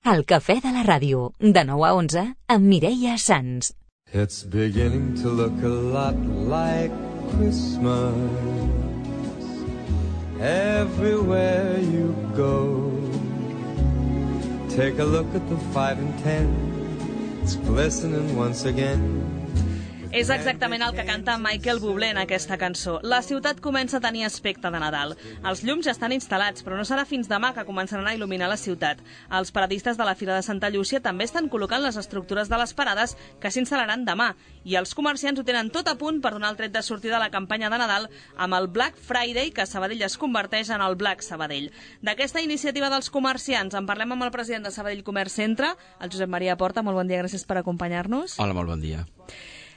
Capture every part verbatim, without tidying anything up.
El cafè de la ràdio, de nou a onze, amb Mireia Sans. It's beginning to look a lot like Christmas everywhere you go. Take a look at the five and ten, it's glistening once again. És exactament el que canta Michael Bublé en aquesta cançó. La ciutat comença a tenir aspecte de Nadal. Els llums ja estan instal·lats, però no serà fins demà que començaran a il·luminar la ciutat. Els paradistes de la Fira de Santa Llúcia també estan col·locant les estructures de les parades que s'instal·laran demà. I els comerciants ho tenen tot a punt per donar el tret de sortida a la campanya de Nadal amb el Black Friday, que a Sabadell es converteix en el Black Sabadell. D'aquesta iniciativa dels comerciants en parlem amb el president de Sabadell Comerç Centre, el Josep Maria Porta. Molt bon dia, gràcies per acompanyar-nos. Hola, molt bon dia.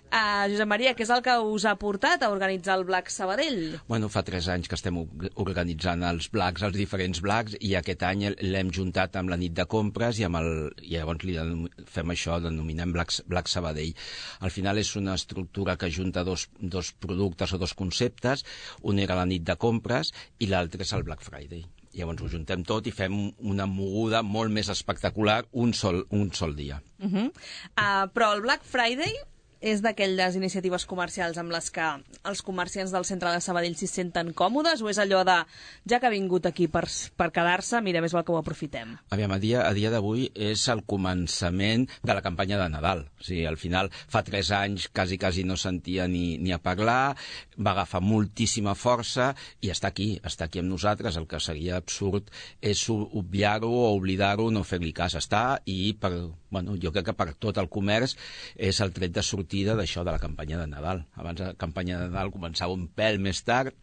Uh, Josep Maria, què és el que us ha portat a organitzar el Black Sabadell? Bueno, fa tres anys que estem organitzant els Blacks, els diferents Blacks, i aquest any l'hem juntat amb la nit de compres i, amb el, i llavors li fem això, denominem Black, Black Sabadell. Al final és una estructura que junta dos, dos productes o dos conceptes. Un era la nit de compres i l'altre és el Black Friday. Llavors ho juntem tot i fem una moguda molt més espectacular un sol, un sol dia. Uh-huh. uh, però el Black Friday és d'aquelles iniciatives comercials amb les que els comerciants del centre de Sabadell s'hi senten còmodes, o és allò de, ja que ha vingut aquí per, per quedar-se, mira, més val que ho aprofitem? Aviam, a dia, a dia d'avui és el començament de la campanya de Nadal. O sigui, al final, fa tres anys quasi, quasi no sentia ni, ni a parlar, va agafar moltíssima força i està aquí, està aquí amb nosaltres. El que seria absurd és obviar-ho o oblidar-ho, no fer-li cas. Està i, per, bueno, jo crec que per tot el comerç és el tret de sortir d'això de la campanya de Nadal. Abans la campanya de Nadal començava un pèl més tard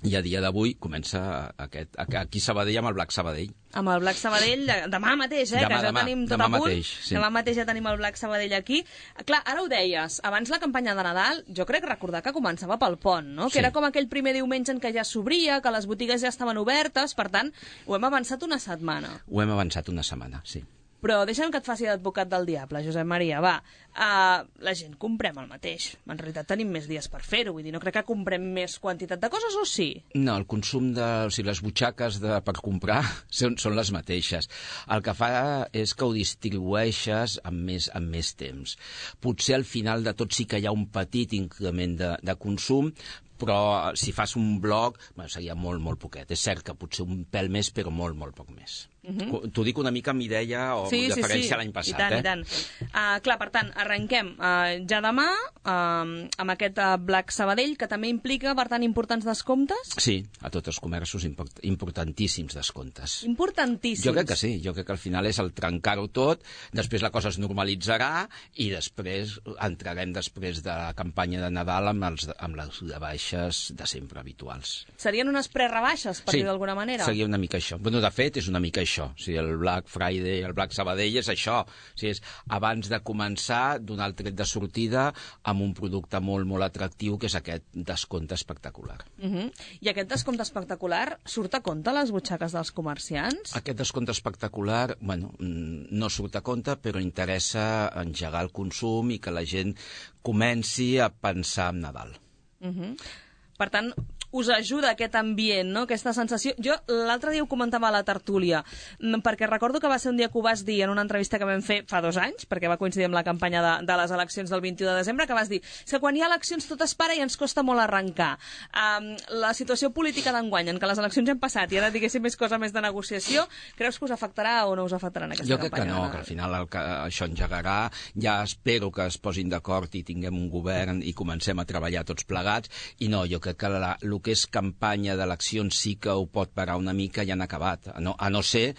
i a dia d'avui comença aquest, aquí a Sabadell amb el Black Sabadell. Amb el Black Sabadell, demà mateix, eh? Demà, que ja demà, tenim tot demà a punt. Mateix, sí. Demà mateix ja tenim el Black Sabadell aquí. Clar, ara ho deies, abans la campanya de Nadal, jo crec recordar que començava pel pont, no? Que sí. Era com aquell primer diumenge en què ja s'obria, que les botigues ja estaven obertes, per tant, ho hem avançat una setmana. Ho hem avançat una setmana, sí. Però deixa'm que et faci d'advocat del diable, Josep Maria, va. Uh, la gent comprem el mateix. En realitat tenim més dies per fer-ho, vull dir, no crec que comprem més quantitat de coses, o sí? No, el consum de... O sigui, les butxaques de, per comprar són, són les mateixes. El que fa és que ho distribueixes amb més, amb més temps. Potser al final de tot sí que hi ha un petit increment de, de consum, però si fas un blog, bueno, seria molt, molt poquet. És cert que potser un pèl més, però molt, molt poc més. Uh-huh. T'ho dic una mica amb idea o sí, referència sí, sí. a l'any passat. I tant, eh? i tant. Uh, clar, per tant, arrenquem uh, ja demà uh, amb aquest uh, Black Sabadell, que també implica, per tant, importants descomptes? Sí, a tots els comerços import, importantíssims descomptes. Importantíssims? Jo crec que sí, jo crec que al final és el trencar-ho tot, després la cosa es normalitzarà i després entrarem després de la campanya de Nadal amb, els, amb les rebaixes de sempre habituals. Serien unes prerebaixes, per sí, dir d'alguna manera? Sí, seria una mica això. Bueno, de fet, és una mica això. O sigui, el Black Friday, el Black Sabadell és això. O sigui, és abans de començar, donar el tret de sortida amb un producte molt, molt atractiu, que és aquest descompte espectacular. Uh-huh. I aquest descompte espectacular surt a compte a les butxaques dels comerciants? Aquest descompte espectacular, bueno, no surt a compte, però interessa engegar el consum i que la gent comenci a pensar en Nadal. Uh-huh. Per tant, us ajuda aquest ambient, no? Aquesta sensació. Jo l'altre dia ho comentava a la tertúlia, perquè recordo que va ser un dia que ho vas dir en una entrevista que vam fer fa dos anys, perquè va coincidir amb la campanya de, de les eleccions del vint-i-u de desembre, que vas dir que quan hi ha eleccions tot es para i ens costa molt arrencar. Um, la situació política d'enguany, en què les eleccions han passat i ara diguéssim és cosa més de negociació, creus que us afectarà o no us afectarà en aquesta jo campanya? Jo crec que no, que al final el que això engegarà. Ja espero que es posin d'acord i tinguem un govern i comencem a treballar tots plegats, i no, jo crec que la, el que és campanya d'eleccions sí que ho pot parar una mica i han acabat, a no, a no ser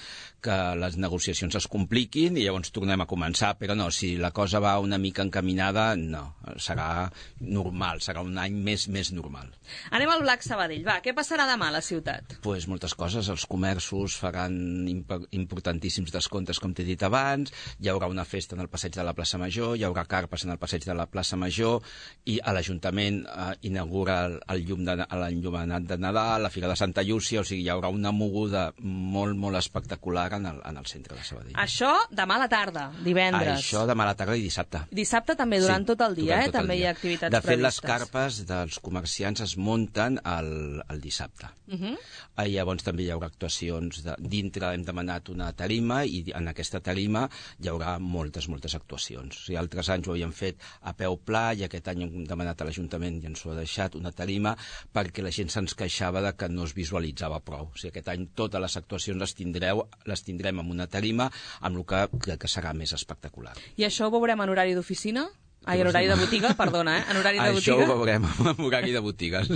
que les negociacions es compliquin i llavors tornem a començar, però no, si la cosa va una mica encaminada, no, serà normal, serà un any més més normal. Anem al Black Sabadell, va, què passarà demà a la ciutat? Doncs pues moltes coses, els comerços faran imp importantíssims descomptes, com t'he dit abans, hi haurà una festa en el passeig de la plaça Major, hi haurà carpes en el passeig de la plaça Major, i a l'Ajuntament eh, inaugura el, el llum de, l'enllumenat de Nadal, la Fira de Santa Llúcia, o sigui, hi haurà una moguda molt, molt espectacular bar en el, en el centre de Sabadell. Això demà a la tarda, divendres. Això demà a la tarda i dissabte. Dissabte també, durant sí, tot el dia, durant eh? tot el També dia. hi ha activitats previstes. De fet, previstes. les carpes dels comerciants es munten el, el dissabte. Uh -huh. I llavors també hi haurà actuacions. De, dintre hem demanat una tarima i en aquesta tarima hi haurà moltes, moltes actuacions. O sigui, altres anys ho havíem fet a peu pla i aquest any hem demanat a l'Ajuntament i ens ho ha deixat una tarima perquè la gent se'ns queixava de que no es visualitzava prou. O sigui, aquest any totes les actuacions les, tindreu, les tindrem amb una tarima, amb el que crec que serà més espectacular. I això ho veurem en horari d'oficina? Ai, en horari de botiga, perdona, eh? En horari de Això botiga. ho veurem en horari de botigues.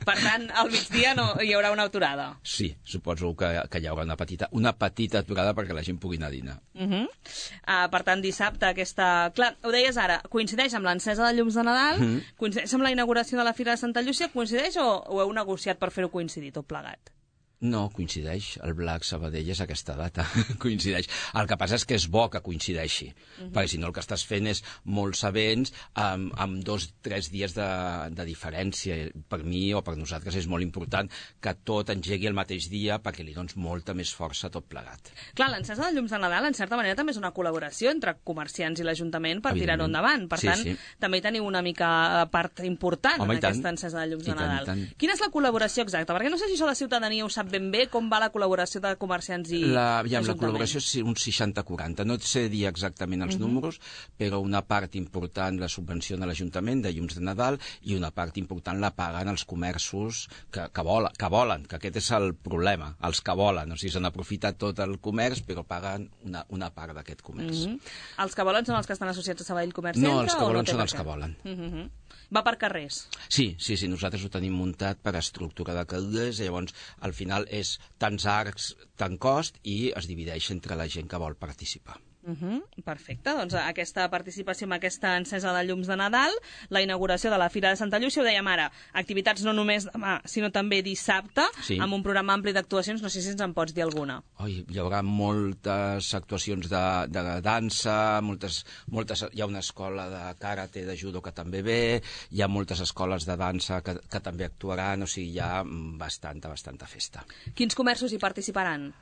Per tant, al migdia no, hi haurà una aturada. Sí, suposo que, que hi haurà una petita, una petita aturada perquè la gent pugui anar a dinar. Uh -huh. uh, per tant, dissabte aquesta... Clar, ho deies ara, coincideix amb l'encesa de llums de Nadal, uh -huh. coincideix amb la inauguració de la Fira de Santa Llúcia, coincideix o ho heu negociat per fer-ho coincidir tot plegat? No, coincideix. El Black Sabadell és aquesta data. Coincideix. El que passa és que és bo que coincideixi, uh -huh. perquè si no el que estàs fent és molts events amb, amb dos, tres dies de, de diferència. Per mi o per nosaltres és molt important que tot engegui el mateix dia perquè li dones molta més força a tot plegat. Clar, l'encesa de llums de Nadal, en certa manera, també és una col·laboració entre comerciants i l'Ajuntament per tirar-ho endavant. Per sí, tant, sí. també teniu una mica part important Home, en aquesta encesa de llums de Nadal. I tant, i tant. Quina és la col·laboració exacta? Perquè no sé si això la ciutadania ho sap ben bé, com va la col·laboració de comerciants i la, ja, l'Ajuntament. la col·laboració és un seixanta quaranta. No et sé dir exactament els uh -huh. números, però una part important la subvenciona l'Ajuntament de llums de Nadal i una part important la paguen els comerços que, que, vola, que volen, que aquest és el problema, els que volen. O sigui, s'han aprofitat tot el comerç, però paguen una, una part d'aquest comerç. Uh -huh. Els que volen són els que estan associats a Sabadell Comerç Centre? No, els que volen no són els que volen. Uh -huh. Va per carrers? Sí, sí, sí, nosaltres ho tenim muntat per estructura de cadires i llavors al final és tants arcs, tant cost i es divideix entre la gent que vol participar. Uh -huh. Perfecte, doncs aquesta participació amb aquesta encesa de llums de Nadal, la inauguració de la Fira de Santa Llúcia, ho dèiem ara, activitats no només demà, sinó també dissabte, sí. amb un programa ampli d'actuacions, no sé si ens en pots dir alguna. Oi, hi haurà moltes actuacions de, de dansa, moltes, moltes, hi ha una escola de karate, de judo que també ve, hi ha moltes escoles de dansa que, que també actuaran, o sigui, hi ha bastanta, bastanta festa. Quins comerços hi participaran?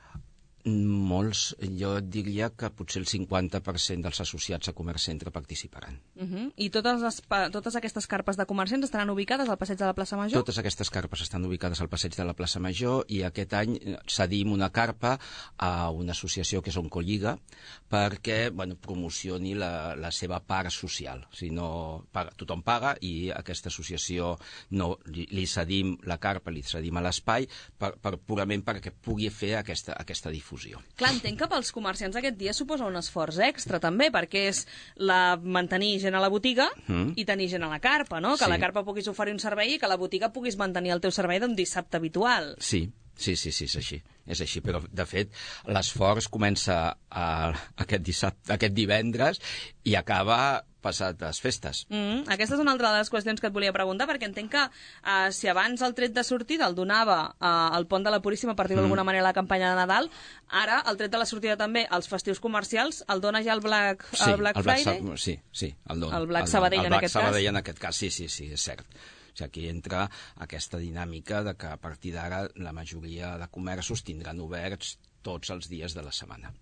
Molts, jo diria que potser el cinquanta per cent dels associats a Comerç Centre participaran. Uh -huh. I totes, les, totes aquestes carpes de comerciants estaran ubicades al passeig de la plaça Major? Totes aquestes carpes estan ubicades al passeig de la plaça Major i aquest any cedim una carpa a una associació que és Oncolliga perquè bueno, promocioni la, la seva part social. O sigui, no, paga, tothom paga i aquesta associació no, li, li cedim la carpa, li cedim a l'espai per, per, purament perquè pugui fer aquesta, aquesta difusió. Clar, entenc que pels comerciants aquest dia suposa un esforç extra també, perquè és la, mantenir gent a la botiga mm. i tenir gent a la carpa, no? Que sí. a la carpa puguis oferir un servei i que a la botiga puguis mantenir el teu servei d'un dissabte habitual. Sí, sí, sí, sí, és així. És així, però de fet l'esforç comença a, aquest, dissabte, aquest divendres i acaba passat les festes. Mm, aquesta és una altra de les qüestions que et volia preguntar, perquè entenc que uh, si abans el tret de sortida el donava uh, el pont de la Puríssima a partir d'alguna mm. manera la campanya de Nadal, ara el tret de la sortida també als festius comercials el dona ja el Black, sí, el Black el Black Friday? Sa sí, sí, el dona. El Black Sabadell el, el en Black aquest Sabadell cas? en aquest cas, sí, sí, sí, és cert. O sigui, aquí entra aquesta dinàmica de que a partir d'ara la majoria de comerços tindran oberts tots els dies de la setmana.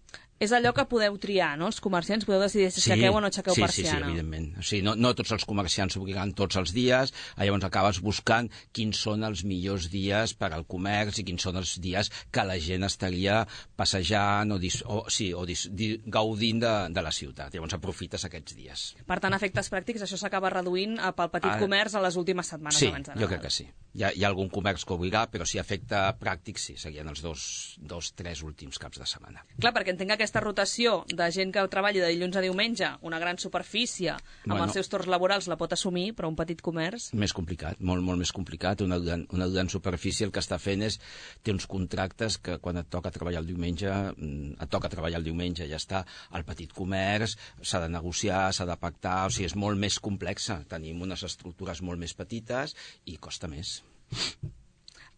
És allò que podeu triar, no? Els comerciants podeu decidir si sí, aixequeu o no aixequeu sí, persiana. Sí, sí, evidentment. O sigui, no, no tots els comerciants s'obligaran tots els dies, llavors acabes buscant quins són els millors dies per al comerç i quins són els dies que la gent estaria passejant o, dis, o, sí, o dis, di, gaudint de, de la ciutat. Llavors aprofites aquests dies. Per tant, a efectes pràctics, això s'acaba reduint pel petit ah, comerç a les últimes setmanes sí, abans de Nadal. Sí, jo crec que sí. Hi ha, hi ha algun comerç que obligar, però si afecta pràctic, sí, serien els dos, dos, tres últims caps de setmana. Clar, perquè entenc que aquesta rotació de gent que treballi de dilluns a diumenge, una gran superfície, amb bueno, els seus torns laborals la pot assumir, però un petit comerç... Més complicat, molt, molt més complicat. Una gran, una gran superfície el que està fent és... Té uns contractes que quan et toca treballar el diumenge, et toca treballar el diumenge, ja està. El petit comerç s'ha de negociar, s'ha de pactar, o sigui, és molt més complexa. Tenim unes estructures molt més petites i costa més.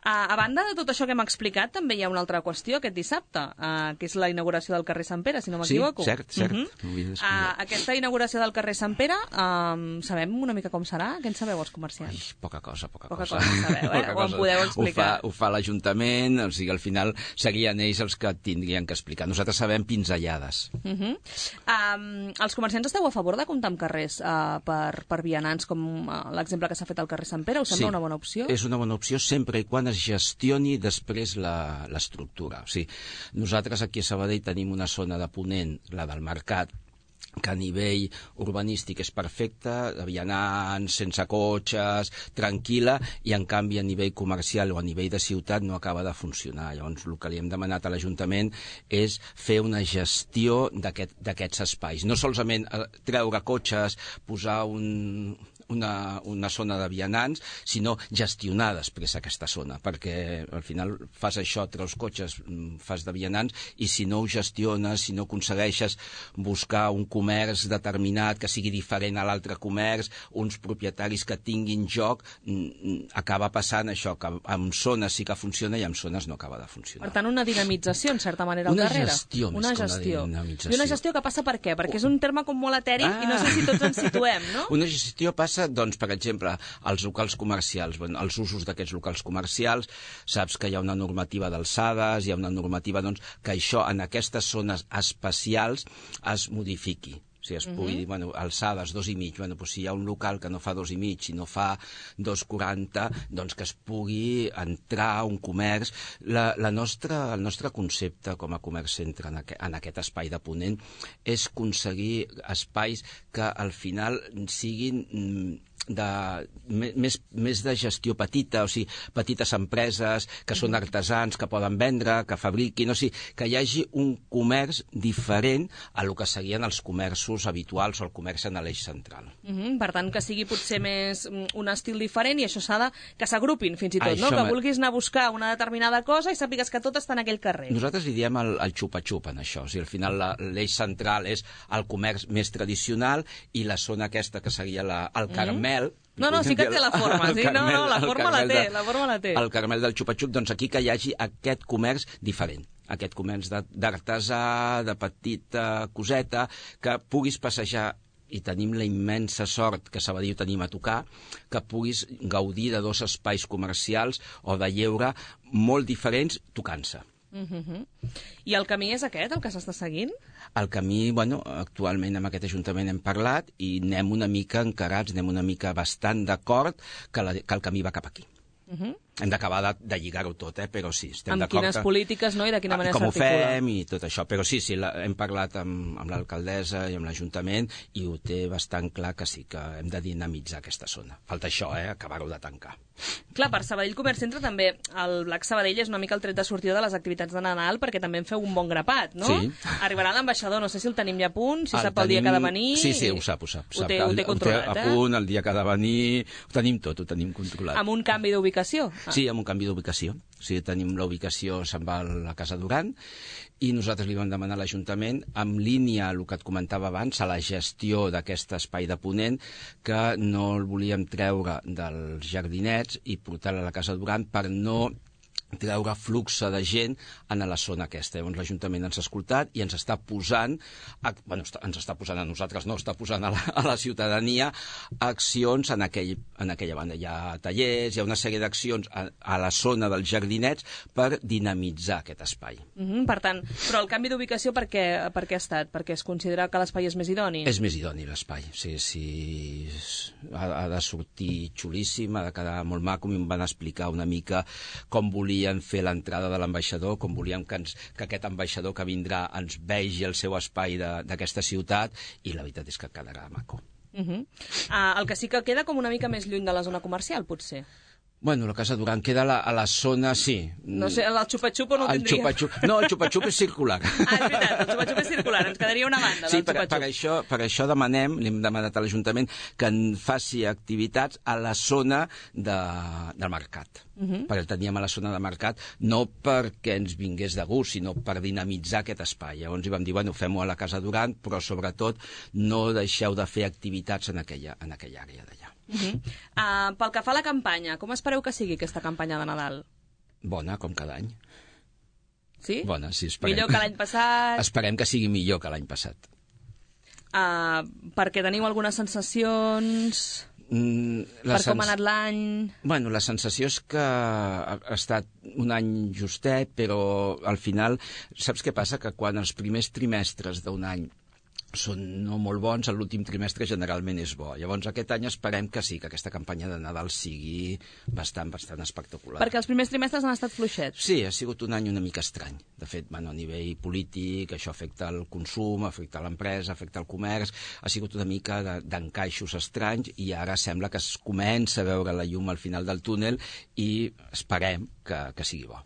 A, a banda de tot això que hem explicat, també hi ha una altra qüestió aquest dissabte, uh, que és la inauguració del carrer Sant Pere, si no m'equivoco. Sí, cert, cert. Uh -huh. uh, aquesta inauguració del carrer Sant Pere, um, sabem una mica com serà? Què en sabeu els comerciants? Ai, poca cosa, poca, poca cosa. cosa sabeu, eh? Ho en podeu explicar. Ho fa, ho fa l'Ajuntament, o sigui, al final serien ells els que tindrien que explicar. Nosaltres sabem pinzellades. Uh -huh. um, els comerciants esteu a favor de comptar amb carrers uh, per, per vianants, com uh, l'exemple que s'ha fet al carrer Sant Pere? Us sembla sí, una bona opció? És una bona opció sempre i quan es gestioni després l'estructura. O sigui, nosaltres aquí a Sabadell tenim una zona de ponent, la del mercat, que a nivell urbanístic és perfecta, de vianants, sense cotxes, tranquil·la, i en canvi a nivell comercial o a nivell de ciutat no acaba de funcionar. Llavors el que li hem demanat a l'Ajuntament és fer una gestió d'aquests aquest, espais. No solament treure cotxes, posar un... Una, una zona de vianants, sinó gestionar després aquesta zona, perquè al final fas això, treus cotxes, fas de vianants, i si no ho gestiones, si no aconsegueixes buscar un comerç determinat que sigui diferent a l'altre comerç, uns propietaris que tinguin joc, acaba passant això, que en zones sí que funciona i en zones no acaba de funcionar. Per tant, una dinamització, en certa manera, al una darrere. Gestió, una més gestió. Una dinamització. I una gestió que passa per què? Perquè és un terme com molt etèric ah. i no sé si tots ens situem, no? Una gestió passa doncs, per exemple, als locals comercials, bueno, els usos d'aquests locals comercials, saps que hi ha una normativa d'alçades, hi ha una normativa doncs, que això en aquestes zones especials es modifiqui. Si es pugui dir, bueno, alçades, dos i mig, bueno, doncs si hi ha un local que no fa dos i mig, si no fa dos quaranta, doncs que es pugui entrar un comerç. La, la nostra, el nostre concepte com a comerç centre en, aqu en aquest espai de ponent és aconseguir espais que al final siguin de, més, més de gestió petita, o sigui, petites empreses que són artesans, que poden vendre, que fabriquin, o sigui, que hi hagi un comerç diferent a lo que seguien els comerços habituals o el comerç en l'eix central. Uh -huh. Per tant, que sigui potser més un estil diferent i això s'ha de que s'agrupin fins i tot, això no? Que vulguis anar a buscar una determinada cosa i sàpigues que tot està en aquell carrer. Nosaltres li diem el, el xupa-xupa en això, o sigui, al final l'eix central és el comerç més tradicional i la zona aquesta que seria la, el Carmel. Uh -huh. No, no, sí que té la forma, sí, no, no, la forma la té, la forma la té. El Carmel del xupa-xup, doncs aquí que hi hagi aquest comerç diferent, aquest comerç d'artesà, de petita coseta, que puguis passejar, i tenim la immensa sort que a Sabadell ho tenim a tocar, que puguis gaudir de dos espais comercials o de lleure molt diferents tocant-se. Uh-huh. I el camí és aquest, el que s'està seguint? El camí, bueno, actualment amb aquest Ajuntament hem parlat i anem una mica encarats, anem una mica bastant d'acord que, la, que el camí va cap aquí. Uh-huh. Hem d'acabar de, de lligar-ho tot, eh? Però sí, estem d'acord. Amb quines polítiques, no?, i de quina manera s'articula. Com ho s'articula. fem i tot això. Però sí, sí, la, hem parlat amb, amb l'alcaldessa i amb l'Ajuntament i ho té bastant clar que sí, que hem de dinamitzar aquesta zona. Falta això, eh? Acabar-ho de tancar. Clar, per Sabadell Comerç Centre també el Black Sabadell és una mica el tret de sortida de les activitats de Nadal perquè també en feu un bon grapat, no? Sí. Arribarà l'ambaixador, no sé si el tenim ja a punt, si el sap el dia que ha de venir... Sí, sí, ho sap, ho sap. Ho té, ho té controlat, ho té a punt, el dia que ha de venir... Ho tenim tot, ho tenim controlat. Amb un canvi d'ubicació? Ah. Sí, amb un canvi d'ubicació. O sigui, tenim la ubicació, se'n va a la Casa Duran, i nosaltres li vam demanar a l'Ajuntament, en línia el que et comentava abans, a la gestió d'aquest espai de ponent, que no el volíem treure dels jardinets i portar-lo a la Casa Duran per no treure flux de gent en la zona aquesta. Llavors l'Ajuntament ens ha escoltat i ens està posant, a, bueno, ens està posant a nosaltres, no, està posant a la, a la ciutadania accions en, aquell, en aquella banda. Hi ha tallers, hi ha una sèrie d'accions a, a la zona dels jardinets per dinamitzar aquest espai. Mm -hmm, per tant, però el canvi d'ubicació per què, per què ha estat? Perquè es considera que l'espai és més idoni? És més idoni l'espai, sí, sí. Ha, ha de sortir xulíssim, ha de quedar molt maco. Em van explicar una mica com volia fer l'entrada de l'ambaixador, com volíem que, ens, que aquest ambaixador que vindrà ens vegi el seu espai d'aquesta ciutat, i la veritat és que quedarà maco. Uh -huh. uh, el que sí que queda com una mica més lluny de la zona comercial, potser. Bueno, la Casa Duran queda a la, a la zona, sí. No sé, el xupa-xup o no ho tindria? El xupa-xup, no, el xupa-xup és circular. Ah, és veritat, el xupa-xup és circular, ens quedaria una banda sí, del per, xupa-xup. per, això, per això demanem, li hem demanat a l'Ajuntament que en faci activitats a la zona de, del mercat. Uh -huh. Perquè el teníem a la zona de mercat, no perquè ens vingués de gust, sinó per dinamitzar aquest espai. Llavors hi vam dir, bueno, fem-ho a la Casa Duran, però sobretot no deixeu de fer activitats en aquella, en aquella àrea d'allà. Uh -huh. uh, pel que fa a la campanya, com espereu que sigui aquesta campanya de Nadal? Bona, com cada any. Sí? Bona, sí, esperem. Millor que l'any passat? Esperem que sigui millor que l'any passat. Uh, perquè teniu algunes sensacions... Mm, per sens... com ha anat l'any... Bueno, la sensació és que ha estat un any justet, però al final, saps què passa? Que quan els primers trimestres d'un any són no molt bons, l'últim trimestre generalment és bo. Llavors aquest any esperem que sí, que aquesta campanya de Nadal sigui bastant, bastant espectacular. Perquè els primers trimestres han estat fluixets. Sí, ha sigut un any una mica estrany. De fet, bueno, a nivell polític, això afecta el consum, afecta l'empresa, afecta el comerç, ha sigut una mica d'encaixos estranys i ara sembla que es comença a veure la llum al final del túnel i esperem que, que sigui bo.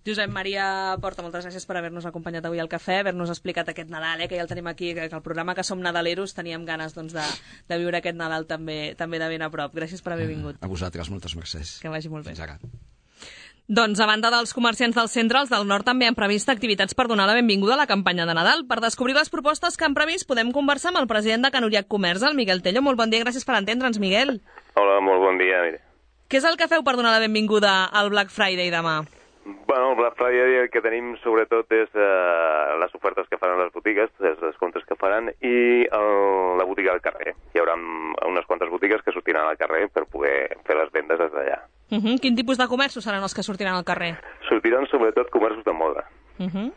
Josep Maria Porta, moltes gràcies per haver-nos acompanyat avui al cafè, haver-nos explicat aquest Nadal, eh, que ja el tenim aquí, que el programa que som nadaleros teníem ganes doncs, de, de viure aquest Nadal també, també de ben a prop. Gràcies per haver vingut. A vosaltres, moltes mercès. Que vagi molt bé. Fins ara. Doncs, a banda dels comerciants del centre, els del nord també han previst activitats per donar la benvinguda a la campanya de Nadal. Per descobrir les propostes que han previst, podem conversar amb el president de Canuriac Comerç, el Miguel Tello. Molt bon dia, gràcies per entendre'ns, Miguel. Hola, molt bon dia. Mire. Què és el que feu per donar la benvinguda al Black Friday demà? Bueno, el Black Friday el que tenim sobretot és eh, les ofertes que faran les botigues, els descomptes que faran, i el, la botiga al carrer. Hi haurà unes quantes botigues que sortiran al carrer per poder fer les vendes des d'allà. Uh -huh. Quin tipus de comerços seran els que sortiran al carrer? Sortiran sobretot comerços de moda. Uh -huh.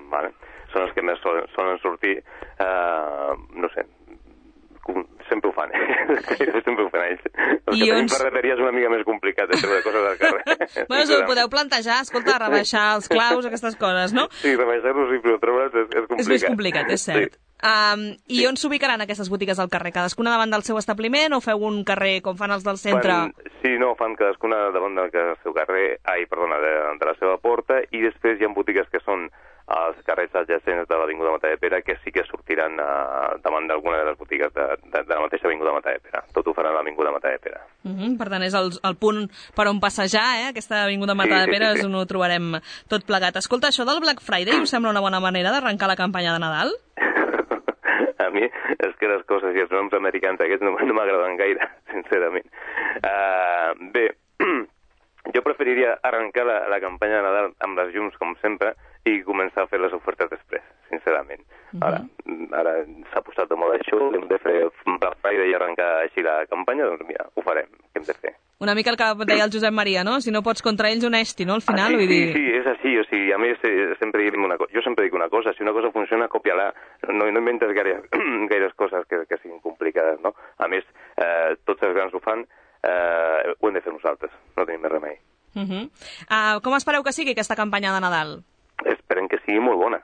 Vale. Són els que més solen, solen sortir, eh, no sé, sempre ho fan, sempre ho fan ells. El que tenim ferreteria és una mica més complicat de treure coses al carrer. Bueno, s'ho podeu plantejar, escolta, rebaixar els claus, aquestes coses, no? Sí, rebaixar-los i treure'ls és, és complicat. És més complicat, és cert. Sí. Um, I sí. On s'ubicaran aquestes botigues al carrer? Cadascuna davant del seu establiment o feu un carrer com fan els del centre? Fan, sí, no, fan cadascuna davant del seu carrer, ai, perdona, de, de la seva porta, i després hi ha botigues que són als carrers adjacents de l'Avinguda Matadepera que sí que sortiran uh, davant d'alguna de les botigues de, de, de la mateixa Avinguda Matadepera. Tot ho faran a l'Avinguda Matadepera. Uh -huh, per tant, és el, el punt per on passejar, eh? Aquesta Avinguda Matadepera sí, sí, sí. És on ho trobarem tot plegat. Escolta, això del Black Friday us sembla una bona manera d'arrencar la campanya de Nadal? A mi és que les coses i els noms americans aquests no, no m'agraden gaire, sincerament. Uh, bé, jo preferiria arrencar la, la campanya de Nadal amb les llums, com sempre, i començar a fer les ofertes després, sincerament. Uh-huh. Ara ara s'ha posat de moda això, hem de fer Black Friday i arrencar així la campanya, doncs mira, ho farem, què hem de fer? Una mica el que deia el Josep Maria, no? Si no pots contra ells, honesti, no? Al final, ah, sí, vull dir... Sí, sí, és així, o sigui, a més, sempre dic una cosa, jo sempre dic una cosa, si una cosa funciona, còpia-la, no, no inventes gaires, gaires coses que, que siguin complicades, no? A més, eh, tots els grans ho fan, eh, ho hem de fer nosaltres, no tenim més remei. Uh-huh. uh, com espereu que sigui aquesta campanya de Nadal? Esperem que sigui molt bona,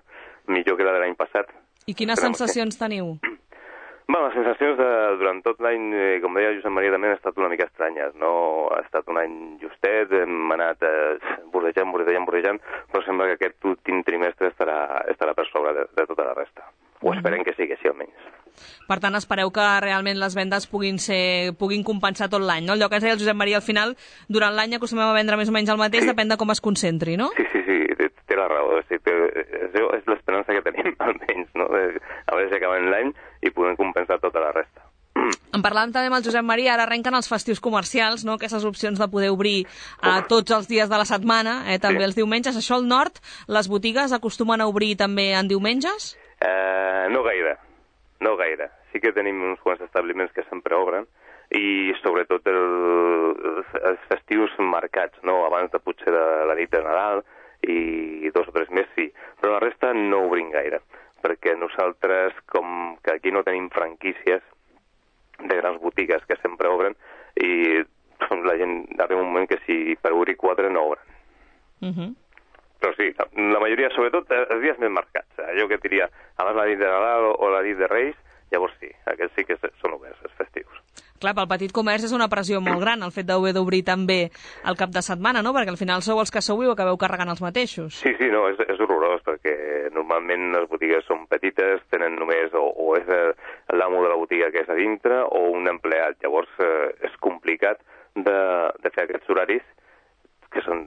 millor que la de l'any passat. I quines Esperem sensacions que... teniu? Bé, les sensacions de, durant tot l'any, eh, com deia Josep Maria, també han estat una mica estranyes, no? Ha estat un any justet, hem anat eh, vorejant, vorejant, vorejant, però sembla que aquest últim trimestre estarà, estarà per sobre de, de tota la resta. Ho esperem que sigui així, almenys. Per tant, espereu que realment les vendes puguin ser puguin compensar tot l'any, no? Allò que ens deia el Josep Maria, al final, durant l'any acostumem a vendre més o menys el mateix, sí. Depèn de com es concentri, no? Sí, sí, sí, té, té la raó. Sí, té, és, és l'esperança que tenim, almenys, no? De, a veure si acabem l'any i podem compensar tota la resta. En parlàvem també amb el Josep Maria, ara arrenquen els festius comercials, no? Aquestes opcions de poder obrir a tots els dies de la setmana, eh? També sí. Els diumenges. Això al nord, les botigues acostumen a obrir també en diumenges? Uh, no gaire, no gaire. Sí que tenim uns quants establiments que sempre obren i sobretot el, els festius marcats, no? Abans de potser de la nit de Nadal i dos o tres més sí, però la resta no obrim gaire, perquè nosaltres, com que aquí no tenim franquícies de grans botigues que sempre obren, i la gent arriba un moment que si per obrir quatre no obren. Uh-huh. Però sí, la majoria, sobretot els dies més marcats, allò que diria abans la nit de Nadal o, o la nit de Reis, llavors sí, aquests sí que són oberts, els festius. Clar, pel petit comerç és una pressió molt gran el fet d'haver d'obrir també el cap de setmana, no? Perquè al final sou els que sou i ho acabeu carregant els mateixos. Sí, sí, no, és, és horrorós, perquè normalment les botigues són petites, tenen només, o, o és l'amo de la botiga que és a dintre, o un empleat. Llavors eh, és complicat de, de fer aquests horaris, que són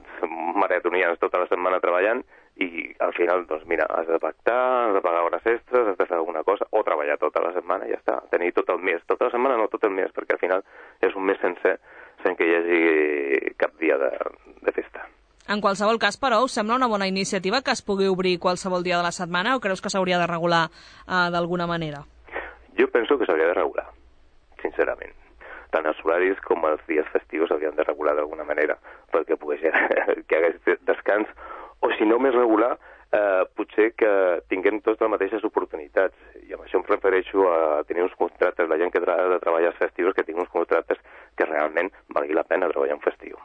maratonians tota la setmana treballant, i al final, doncs mira, has de pactar, has de pagar hores extres, has de fer alguna cosa, o treballar tota la setmana i ja està. Tenir tot el mes, tota la setmana no tot el mes, perquè al final és un mes sencer sense que hi hagi cap dia de, de festa. En qualsevol cas, però, us sembla una bona iniciativa que es pugui obrir qualsevol dia de la setmana o creus que s'hauria de regular uh, d'alguna manera? Jo penso que s'hauria de regular, sincerament. Tant els horaris com els dies festius s'haurien de regular d'alguna manera, perquè pogués que hi hagués descans, o si no més regular, eh, potser que tinguem totes les mateixes oportunitats. I amb això em refereixo a tenir uns contractes, la gent que ha de treballar els festius, que tingui uns contractes que realment valgui la pena treballar en festiu.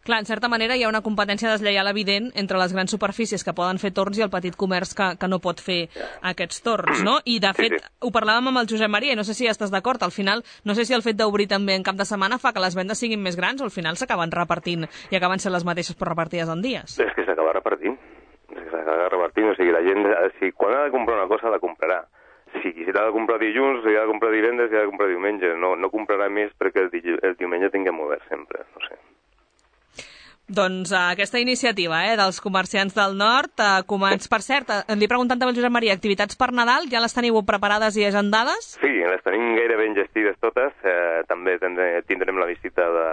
Clar, en certa manera hi ha una competència deslleial evident entre les grans superfícies que poden fer torns i el petit comerç que, que no pot fer aquests torns, no? I, de fet, sí, sí. ho parlàvem amb el Josep Maria i no sé si estàs d'acord. Al final, no sé si el fet d'obrir també en cap de setmana fa que les vendes siguin més grans o al final s'acaben repartint i acaben sent les mateixes però repartides en dies. És que s'acaba repartint. És que s'acaba repartint. O sigui, la gent, si quan ha de comprar una cosa, la comprarà. Si l'ha de comprar dilluns, si ha de comprar divendres, si ha de comprar diumenge. No, no comprarà més perquè el, di el diumenge tinguem obert sempre, no sé. Doncs uh, aquesta iniciativa eh, dels comerciants del nord, uh, començ... per cert, uh, li he preguntat també al Josep Maria, activitats per Nadal, ja les teniu preparades i agendades? Sí, les tenim gairebé enllestides totes, eh, també tindrem, tindrem la visita de,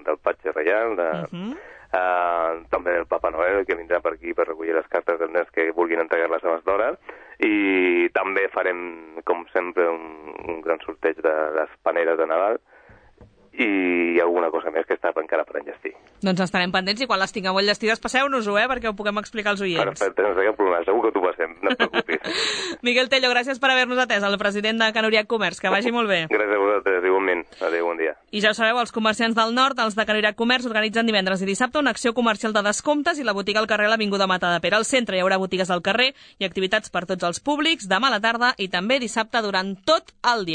del Patge Reial, de, uh -huh. eh, també del Papa Noel, que vindrà per aquí per recollir les cartes dels nens que vulguin entregar-les abans d'hora, i també farem, com sempre, un, un gran sorteig de les paneres de Nadal, i alguna cosa més que està encara per enllestir. Doncs estarem pendents i quan les tingueu enllestides passeu-nos-ho, eh, perquè ho puguem explicar als oients. Perfecte, no sé cap problema, segur que t'ho passem, no et preocupis. Miguel Tello, gràcies per haver-nos atès, el president de Can Uriac Comerç, que vagi molt bé. Gràcies a vosaltres, igualment. Adéu, bon dia. I ja ho sabeu, els comerciants del nord, els de Can Uriac Comerç, organitzen divendres i dissabte una acció comercial de descomptes i la botiga al carrer l'Avinguda Matadepera. Al centre hi haurà botigues al carrer i activitats per tots els públics, demà a la tarda i també dissabte durant tot el dia.